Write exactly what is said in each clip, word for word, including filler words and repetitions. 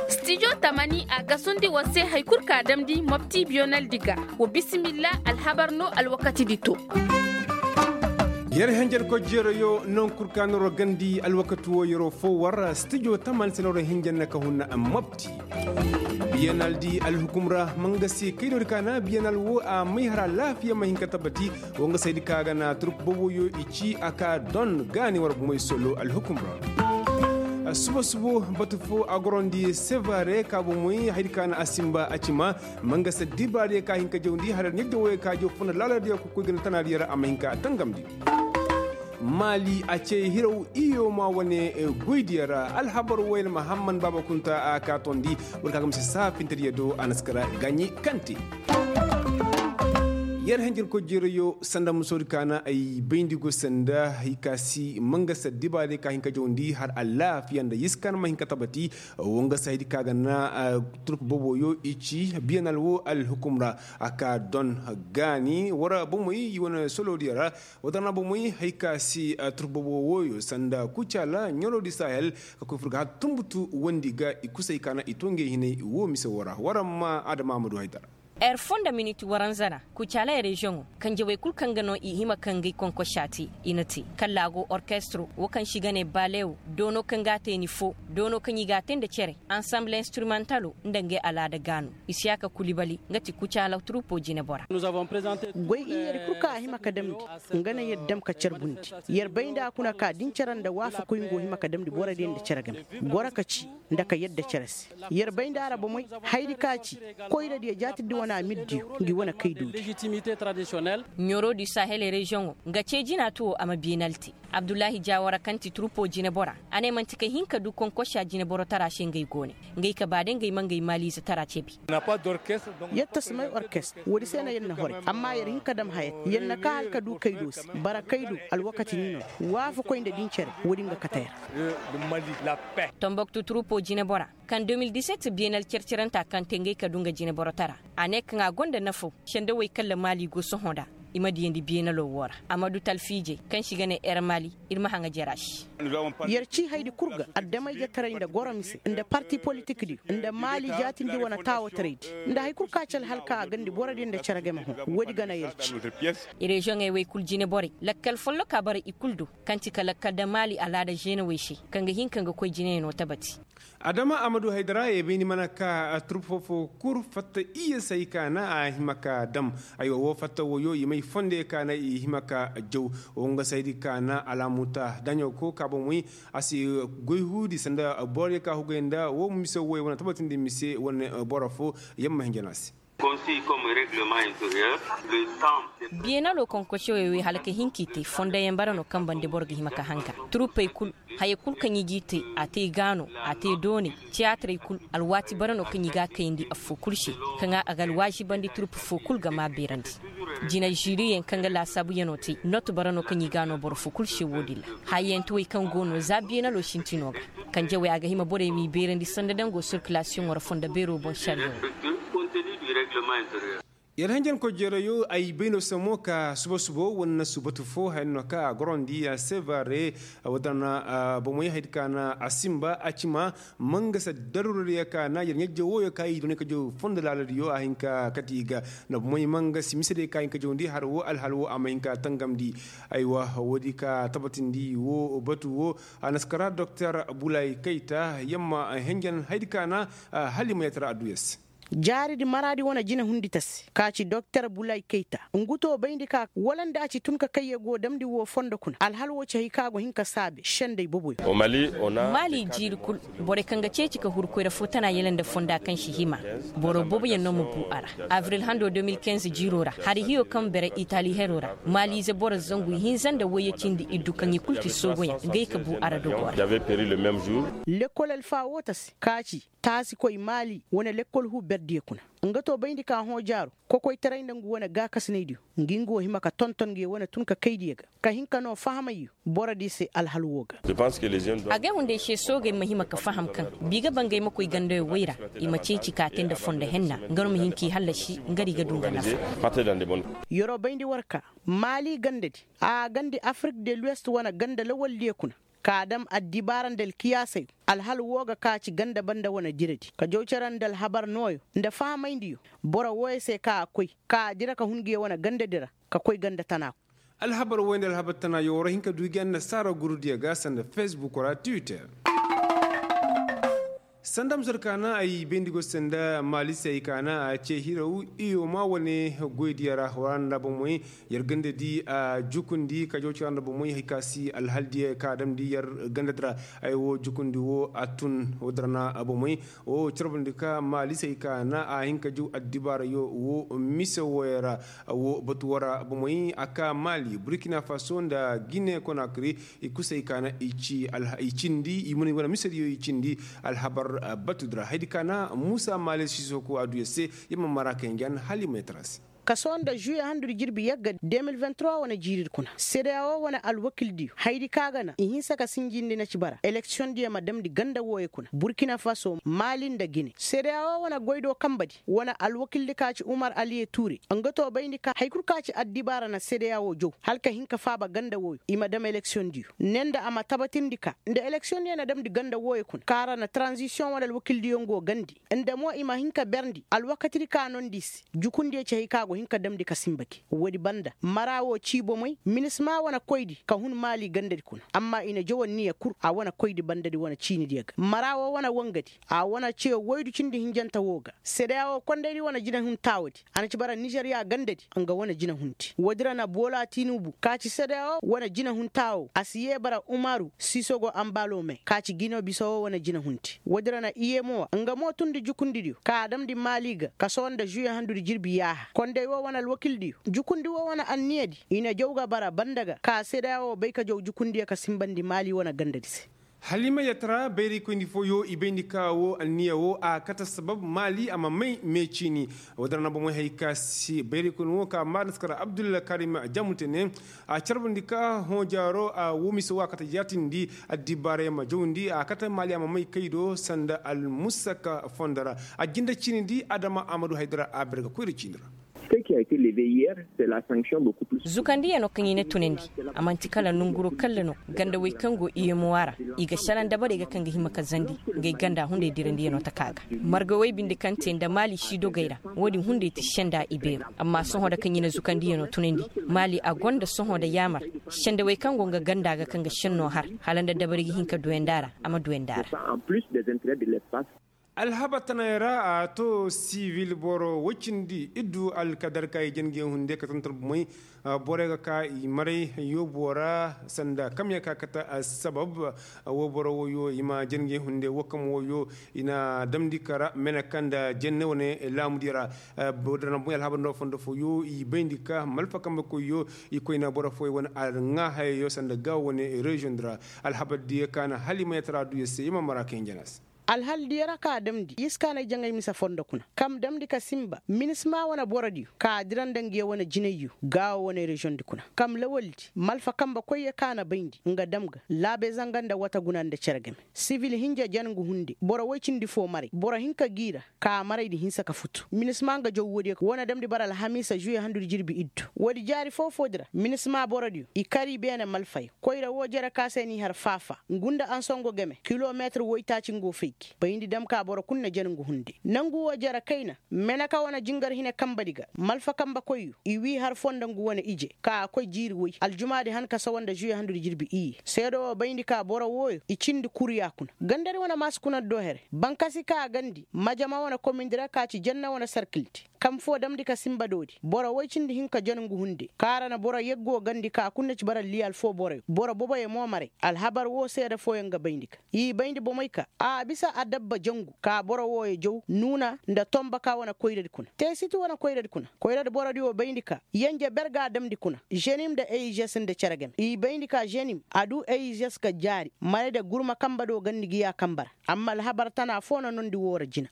Stijo tamani a gasundi war se hari kul ka damndi mopti biyonaldi ga. Wa bisimilla alhabar no alwakatidi to. Yer henjen kojjeerayo non kul ka noro gandi alwakati wo yero fo war stijo tamani se noro henjen na ka hunna mopti. Biyanal di alhukum ra ma nga se kaydoodi ka na biyanal wo a may har alaafiya ma hin ka tabati. Wo nga saydi ka ga na turk boboyo i ci a ka don gaani war bomey solo alhukum ra. Suba subo batu fo a gorondi sevare ka bomey haydi ka na a simba a cima. Ma nga se dibaariya ka hin ka jawndi har ɲajja woyo ka jaw funa laaladiya kokoy gana tanaadiya ra a ma hin ka tangamndi. Maali a ce hiraw iyo ma wane goydiya ra alhabar wayna mahamman baaba kunta a ka tondi. War ka ga ma se saafintadiya do a na si kara gaaɲi kante. Yer hanjir kojjeerayo sanda musoodi ka na ay bayndi go sanda hay ka si ma nga se dibaariya ka hin ka jawndi har alaafiya nda yiskan ma hin ka tabati. Wo nga se haydi ka ga na turk boboyo i ci biyanal wo alhukum ra a ka don gaani war bomey i wane soloodiya ra. Wadarna bomey hay ka si turbobo woyo sanda kucala ɲorodi sahel ka koy fur ga har tumbutu wondi ga i kusay ka na i to ngey hinay wo mise wo ra war ma adama amadu haydara. Er fo nda miniti waranza ra kucala reziyoŋo kanjawey kul kaŋ ga no i hima ka ngey konkosa te i na te kala a go orkestro wo kaŋ se i ga ne balewo doono kaŋ ga a te ni fo doono kaŋ i ga a te nda cere ansamble instrumentalo nda ngey alaada gaano. Isiyaka kulibali nga ti kucaala turupo jinebora. Goy iyyadi kul kaŋ a hima ka damndi nga na yer dam ka carbundi. Yer bay nda a kuna ka da ni care nda waafakoy nga wo hima ka damndi borodiyo nda care game. Goro ka ci nda ka yadda care se. Yer bay nda a ra bomey hayadi ka ci koyradiyo jaatirdi wane amirdiyo ngi wane kaydoodi. Ɲorodi sahel reziyoŋo nga ce jina to wo a ma beenal te. Abdullahi jawara kaŋ ti turupo jinebora a ne man'ti ka hin ka du konkosa jineboro tara se ngey go ne. Ngey ka ba day ngey ma ngey maaliize tara cebi. Yer ta si may orkest woodi se no yer na horay amma yer hin ka dam haya te yer na ka hala ka du kaydo se. Bara kaydo alwakati ni no waafakoy nda din cere woodi nga kate yer. Tomboktu turupo jinebora kaŋ de mil diset beenal cere-cerenta kaŋ te ngey ka du nga jineboro tara. A ne kaŋ a gonda nafaw sendawey kaŋ ra maali go sohõ nda i ma diyandi beenalo wo ra. Amadu talfiijey kaŋ se i ga ne er maali ir ma haŋa jara se. Yer ci hayadi kul ga adamay-jetaray nda goro mise nda parti politikdiyo nda maali jaatindi wane taawataraydi nda hari kul ka ci alhal ka a gandi borodiyo nda cere game hõ. Woodi ga na yer ci. Reziyoŋey wey kul jineborey lakkal folloka bara i kul do kaŋ ti ka lakkal da maali alaada zeenawey se kaŋ ga hin ka nga koy jineyanoo tabati. Adama amadu haydara ye bay ni mana ka turp fo-fo kul fatta iyye se ay ka na a hima ka dam. Aywa woo fatta woyoo i may fonde ka na i hima ka jaw. Woo nga se ay di ka na alaamuta daɲo ko ka bomoy. A si goy huudi sanda boro ye ka hugay nda woo mise woy wane tabatindi mise wane boro fo. Yamma hinja no a se. Biyeenaloo konkosewey wey hala ka hin k'i te fondoyaŋ bara no kaŋ bande boro ga hima ka hanga. Turupey kul haya kul kaŋ i g'i te a te gaano, a te dooney, tiyaatirey kul. Alwaati bara no kaŋ i g'a kayandi affoo kul se kaŋ a ga alwaazibandi turup foo kul ga maa beerandi. Jina ziiriyaŋ kaŋ ga laasaabuyanoo te not bara no kaŋ i g'a noo boro foo kul se woo-din ra. Hayyantiwey kaŋ go no za biyeenaloo sintinoo ga. Kanjawey a ga hima borey m'i beerandi sanda dangoo sirkilasiyoŋoo ra fondo beeroo boŋ sariyaŋoo. Yer hanjankoy jeerayo ay bay no se mo ka suba subo wane na subatu foo haya no ka a gorandi a sevare. Wata na bomoy hayadi ka na a simba a cima. Mangasa daruuradiyo ka na yer ɲajje wooyo ka i doonay ka jaw fondo laaladiyo a hin ka kate i ga. Nda bomoy mangasi misediyo ka hin ka jawndi har woo alhal woo a ma hin ka tangamndi. Aywa woodi ka tabatindi woo batu woo. A na si kara doktor bulay kayta yamma henjen hayadi ka na hala i ma yatara adduya se. Jaaridi maraadi wane jine hundi ta se ka ci doktor bulay kayta. Ngu to bayndi ka wala nda a ci tun ka kayye go damndi woo fondo kuna alhal woo ci hay ka go hin ka saabe sendey boboyo. Maali jiiri kul borey kaŋ ga ceeci ka huru koyra foo tana yala nda fonda kaŋ si hima. Boro booboyaŋ no ma bu a ra. Abril hando de mil kinze jiiroo ra hari hiyo kaŋ bere itali heroo ra maaliize boro zangu ihinza nda wayye cindi iddu kaŋ i kul ti soogoyaŋ ngey ka bu a ra dogoo ra. Lekkol alfa woo ta se ka ci taasikoy maali wane lekkol huu berdiyo kuna. Nga to bayndi ka hõ jaaro kokoytaray nda ngu wane gaakasinaydiyo ngi nga wo hima ka tonton ngi wane tun ka kaydiyo ga ka hin ka noo fahamayyo. Borodiyo se alhal woo ga. Agay hunday se soogey ma hima ka faham kaŋ bi ga ba ngey ma koy gandawey wey ra. I ma ceeci ka te nda fondo henna nga no ma hin k'i hallasi nga di ga du nga nafa. Yeroo bayndi war ka maali gandadi a gandi afirik de luwest wane ganda lawaldiyo kuna. ka a dam addibaara nda alkiyaasey. Alhal woo ga ka ci ganda banda wane diradi ka jaw cere nda alhabar nooyo nda fahamayndiyo. Boro wooyo se ka a koy ka a dira ka hun nguyo wane gandadi ra ka koy ganda tana. Alhabar wooyo nda alhabar tana yoo war hin ka du gi annasaara gurudiyo ga sanda fesbuk ra twitter. Sanda musar kaana ay bayndi go sanda maali se ay kaana a ce hiraw. Iyo ma wane goydiyo ra war nda bomey yer ganda di a jukundi ka jaw cere nda bomey hay ka si alhal diyo ka a damndi yer ganda di ra. Ay woo jukundi woo a tun woo di ra na bomey woo carbundi ka maali se ay kaana a hin ka jaw addibaara yoo woo mise wooyo ra. Woo batu woo ra bomey a ka maali burkina faso nda gine konakri. I kusay kaana i cindi i muna i wane misediyo i cindi alhabar batudi ra haydi kaana muusa maale sisoko a du yer se. Yer ma mara kay njan hala i ma yer tara se. Kaso nda žuye handudi jirbi yagga de mil vingt trois wane jiiridi kuna sedeya woo wane alwakildiyo haydi ka ga na i hinsa ka sinjindi na ci bara eleksiyondiyo ma damndi ganda wooyo kuna burkina faso maali nda gine sedeya woo wane goydoo kanbadi wane alwakildi ka ci umar aliye tuure nga too bayndi ka hari kul ka ci addibaara na sedeya woo jaw hala ka hin ka faaba ganda wooyo i ma dam eleksiyondiyo ne nda a ma tabatindi ka nda eleksiyondiyo na damndi ganda wooyo kuna kaŋ a ra na taranzisiyoŋ wane alwakildiyo nga goo gandi nda mo i ma hin ka berndi alwakatidi ka noondi i se. Jukundiyo ci hari kaŋ a go hin ka damndi ka sinba gi woodi banda mara woo cii bomey minisma wane koydi ka hun maali gandadi kuna amma i na jaw anniya kul a wane koydi bandadi wane ciinidiyo ga mara woo wane wangadi a wane ce woydu cindi hinjante woo ga sedeya woo kondaydi wane jinahun taawadi a na ci bara nizeriya gandadi nga wane jinahundi woodi ra na boola tinubu ka ci sedeya woo wane jinahun taawoo a si yee bara umaru sisogo ambalome ka ci gino bisa woo wane jinahundi woodi ra na iyemowa nga mo tundi jukundidiyo ka a damndi maali ga kaso nda žuye handudi jirbi yaaha konday woo wane alwakildiyo jukundi woo wane anniyadi i na jaw ga bara banda ga ka sedeya woo bay ka jaw jukundiyo ka sinbandi maali wane gandadi se. Halima yatara bayraykoyni fooyo i bayndi ka woo anniya woo a kate sabab maali a ma may meeciini. Woo dara na bomey hay ka si bayraykoyni woo ka maari naskara abdulla karim jamute ne a carbandi ka hõ jaaro a woo mise woo a kate jaatindi addibaarey ma jawndi a kate maali a ma may kay do sanda almusaka fondo ra a jinde ciinidi adama amadu haydara a berga koyra ciini ra. Zukandiyano kaŋ i na tunandi a man'ti kala nonguro kalle no gandawey kaŋ go iyemowa ra i ga šelaŋ dabarey ga kaŋ ga hima ka zandi. Ngey ganda hunday dirandiyano taka ga margawey binde kaŋ te nda maali siidogey ra. Wo-din hunday ti senda ibeero amma sohõ da kaŋ i na zukandiyano tunandi maali a gonda sohõ nda yaamar sendawey kaŋ go nga ganda ga kaŋ ga šenno har hala nda dabari ga hin ka duyandi a ra a ma duyandi a ra. Alhabar tanay ra a to sivil boro woy cindi iddu alkadar ka i jange hunde ka tantar bumey. Borey ga ka i maray yoobo ra sanda kamya ka kate sabab. Woo boro woyo i ma jange hunde woo kam woyo i na damndi kara mene kaŋ nda jenne wane laamudiyo ra. Boro dana bumey alhabar ndo fondo foyo i bayndi ka malfa kambe koyyo i koyna boro foyo wane alŋa hayayo sanda ga wane reziyoŋ di ra. Alhabar diyo ka na hala i ma yatara duyo se i ma mara kaŋ i jana se. Alhal diyo ra ka a damndi i si ka na ay jaŋay mise fondo kuna kam damndi ka sinba minisma wane borodiyo ka a dira nda nguyo wane jinayyo gaawo wane reziyoŋ di kuna kam lawaldi malfa kambe koyyo ka na bayndi nga dam ga laabe zanga nda wata guna nda cere game. Sivil hinja jan ngu hunde boro woy cindi foo maray boro hinka g'i ra ka a maraydi hinsa ka futu minisma nga jaw woodiyo wane damndi bara alhamiisa žuye handudi jirbi iddu woodi jaari foo-foodi ra minisma borodiyo i kar i beene malfayo koyra woo jere ka se n'i har faafa ngu nda ansongo game kilomeetir woytaaci ngo fay gi bayndi dam ka boro kul na jan ngu hunde nangu woo jere kayna meneka wane jingar hine kambedi ga malfa kambe koyyo i wii har foo nda ngu wane ije ka a koy jiiri woy aljumaadi han ka sawa nda žuye handudi jirbi iyye seedo woo bayndi ka boro wooyo i cindi kurya kuna gandadi wane maasi kuna do here bankasi ka a gandi majama wane komindi ra ka ci janna wane sarkildi kam foo damndi ka sinba doodi boro woy cindi hinka jon ngu hunde kaŋ a ra na boro yaggo gandi ka kul na ci bara liyal foo boroyo boro boboyo mo maray alhabar woo seede fooyaŋ ga bayndi ka i bayndi bomey ka a bisa adabba jangu ka boro wooyo jaw nuuna nda tonba ka wane koyradi kuna teesiti wane koyradi kuna koyradi borodi woo bayndi ka yanje ber ga a damndi kuna ženim nda eyžes nda cere game i bayndi ka ženim a du eyžes ga jaari maray nda gurma kambe do gandi gi ya kambe ra amma alhabar tana foo na nondi woo ra jina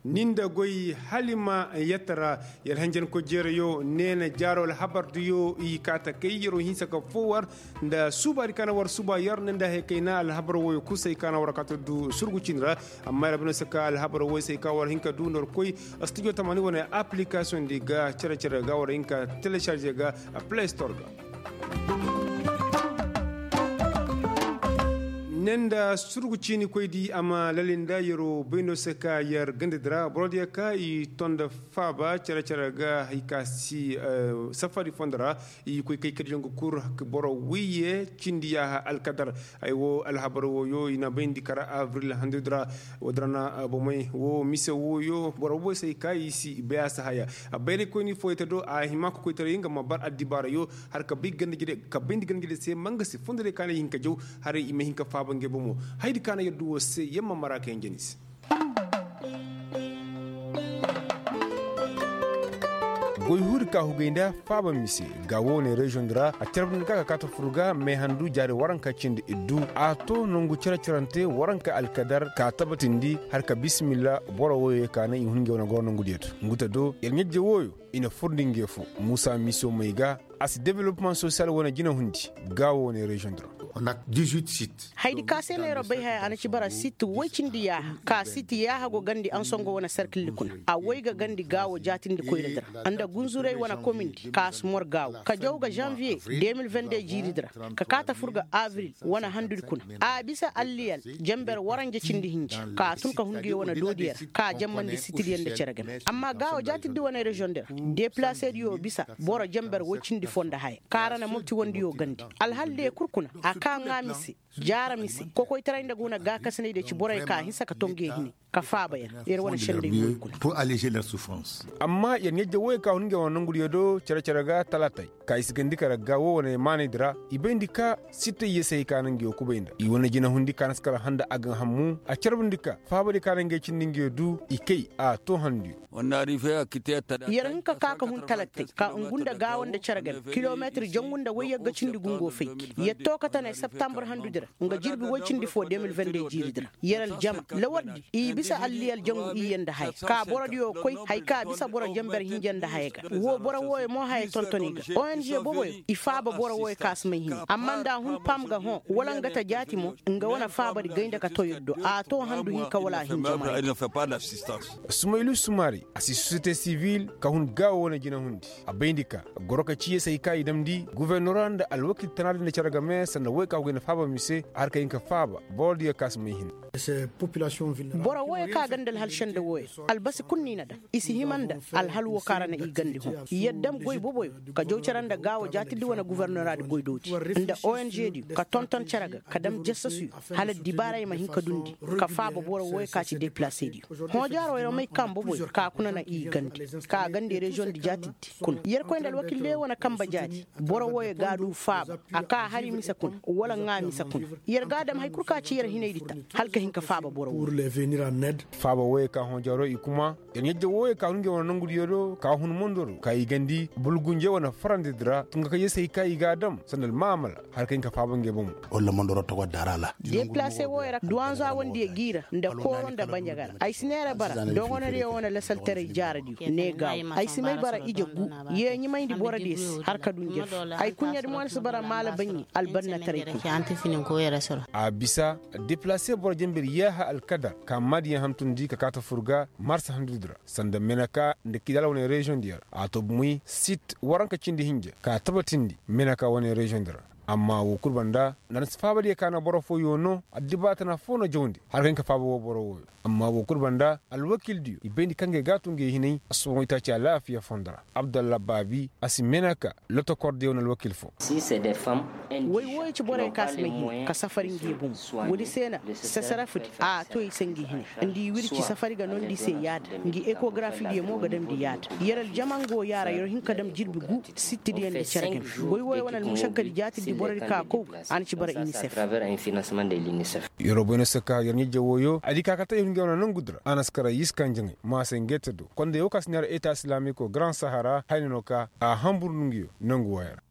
ni nda goy halima yette ra yer hanjankoy jeerayo neena jaaro alhabar diyo i kaata kay yeroo hinsa ka foo war nda suubaadi ka na war suuba yer ne nda hay kayna alhabar woyo kusay ka na war kaata du surgu cindi ra amma yer bino se ka alhabar woy se ka war hin ka du nda war koy studio tamani wane application di ga cere-cere ga war hin ka télécharger ga play store ga. Ne nda surgu ciini koy di a ma lali nda yeroo bay no se ka yer ganda di ra boro diyo ka i ton nda faaba cere-cere ga hay ka si safari fondo ra. I koy kay kadi yongu kur boro wiyye cindi yaaha alkadar. Ay wo alhabar wooyo i na bayndi kara abril handu di ra. Woo di ra na bomey woo mise wooyo boro boboy se hay ka i si bayaasa haya. Bayraykoyni fooyey te do a hima ka koy taray nga ma bar addibaarayo. Har ka bay ganda jide se ma nga se fondo diyo ka ne i hin ka jaw. Haray i ma hin ka faaba ngey bomo. Hayadi ka na yer du woo se yer ma mara ka yaŋ jani se. Goy huudi ka hugay nda faaba mise ga woone reziyoŋ di ra a carabandi ga ka kaata fur ga meehandu jaari waranka cindi iddu a to nongu cere-cerante waranka alkadar ka tabatindi har ka bisimilla. Boro wooyo ka naŋ i hun ngey wane goro nongu diyo to ngu te do yer ɲajje wooyo i na furndi ngey fo muusa misiyoŋ may ga. A si developmaŋ sosiyal wane jinahundi ga woone reziyoŋ di ra. Hayadi ka se neeroo bay haya a na ci bara sit woy cindi yaaha ka sit yaaha go gandi ansongo wane sarkilli kuna. A woy ga gandi gaawo jaatindi koyra di ra nda gunzuray wane komindi ka si mor gaawo ka jaw ga zanviye de mil vende jiiri di ra ka kaata fur ga abril wane handudi kuna. A bisa alliyal jenber waranja cindi hinja ka tun ka hun nguyo wane doodiyo ra ka jammandi sitidiyo nda cere game amma gaawo jaatindi wane reziyoŋ di ra. Depilasediyo bisa boro jenber woy cindi foo nda haya ka ra na mopti wandiyo gandi. Alhal diyo kul kuna a ka ŋaa mise jaara mise kokoytaray nda ga wane gaakasinay diyo ci borey ka hinsa ka to ngey hine ka faaba yer yer wane sendey woy kuna. Amma yer ɲajje woyey ka hun ngey wane nongudiyo do cere-cere ga talaatay ka i si gandi kara ga woo wane maanaydi ra i bayndi ka sittay yee se hay ka na ngey woo kubay nda i wane jinahundi ka na si kara handa a ga hammu a carbandi ka faabadiyo ka na ngey cindi ngey du i kay a too handuyo. Yer hin ka ka ka hun talattey ka ngu nda gaawo nda cere game kilometir jangu nda woy yagga cindi gungo fayki yer too ka tanay septambur handudi ra nga jirbi woy cindi foo de mil vende jiiridi ra. Yer aljama lawardi i bisa alliyal jangu iyye nda haya ka borodiyo koy haya ka bisa boro jenber hinja nda haya ga woo boro wooyo mo haya tonton i ga. Ong boboyo i faaba boro wooyo ka si may hini amma nda a hun pam ga hõ wala nga ta jaati mo nga wane faabadi gay nda ka too yer do a too handu hinka wala a hinja ma. Sumaylu sumari a si sosiyete sivil ka hun gaawo wane jinahundi a bayndi ka goro ka ciiye se hay ka i damndi gofornora nda alwakil tanaadi nda cere game sanda woy ka go ga i na faaba mise a har ka hin ka faaba borodiyo ka si may hini. Boro wooyo ka ga nda alhal senda wooyo albasi kul no i na daŋ i si hima nda alhal woo ka ra na i gandi hõ. Yer dam goy boboyo ka jaw cere nda gaawo jaatindi wane gofornoraadi goydoodi nda ong diyo ka tonton cere ga ka dam jasasuyo hala dibaaray ma hin ka dundi ka faaba boro wooyo ka ci depilasediyo. Hõojaaro yer may kaŋ boboyo ka kuna na i gandi ka gandi reziyoŋ di jaatindi kuna yer koy nda alwakil diyo wane kambe jaati. Boro wooyo ga a du faaba a ka hari mise kuna wala ŋaa mise kuna. Yer ga a dam hari kul ka ci yer hinaydi ta hala ka hin ka faaba boro wooyo. Faaba wooyo ka hõojaaro i kuma yer ɲajje wooyo ka hun ngey wane nongudiyo do ka hun mondoro ka i gandi bulgunje wane farandi di ra tunga ka yee se hay ka i ga a dam sanda almaamala hala ka hin ka faaba ngey bomo. Deplase wooyo ra duwanza wandiyo g'i ra nda kooro nda banjaga ra ay si neera bara dogonodiyo wane lasaltaray jaaradiyo ne gaaw ay si may bara ije gu. Yee ɲimayndi borodiyo se har ka du njefi ay kuɲɲadi mo ni si bara maala baɲɲi albannataray kuna. A bisa deplase boro jenbir yaaha alkadar ka maadiyaŋ hantumndi ka kaata fur ga marsa handudi ra sanda meneka nda kidal wane reziyoŋ diyo ra a to bumey sit waranka cindi hinja ka tabatindi meneka wane reziyoŋ di ra. Amma woo kul banda nda na si faabadiyo ka na boro fooyo no addibaatana foo na jawndi har ka hin ka faaba woo boro wooyo. Amma woo kul banda alwakildiyo i bayndi ka ngey ga a tun ngey hinay a si boŋ itaaci alaafiya fondo ra. Abdalla baabi a si meneka lotokordiyo na alwakil foo. Woy wooyo ci borey ka si may hina ka safari ngey bomo. Woodi se na sasarafdi a to i se ngi hine nda i wirci safari ga nondi i se yaada ngi ekogarafidiyo mo ga damndi yaada. Yer aljama nga wo yaara yer hin ka dam jirbi gu sittidiyo nda cere game. Goy wooyo wane almušakkadi jaatidi borodi ka kow ga a na ci bara inisef. Yer wo boy no se ka yer ɲajje wooyo a di ka kate yer ngey wane nongudi ra a na si kara yiska njaŋay maasay ngey te do konday woo ka si neera eta silaamiko garan sahara hayna no ka a hanbur nonguyo nongu wooyo ra.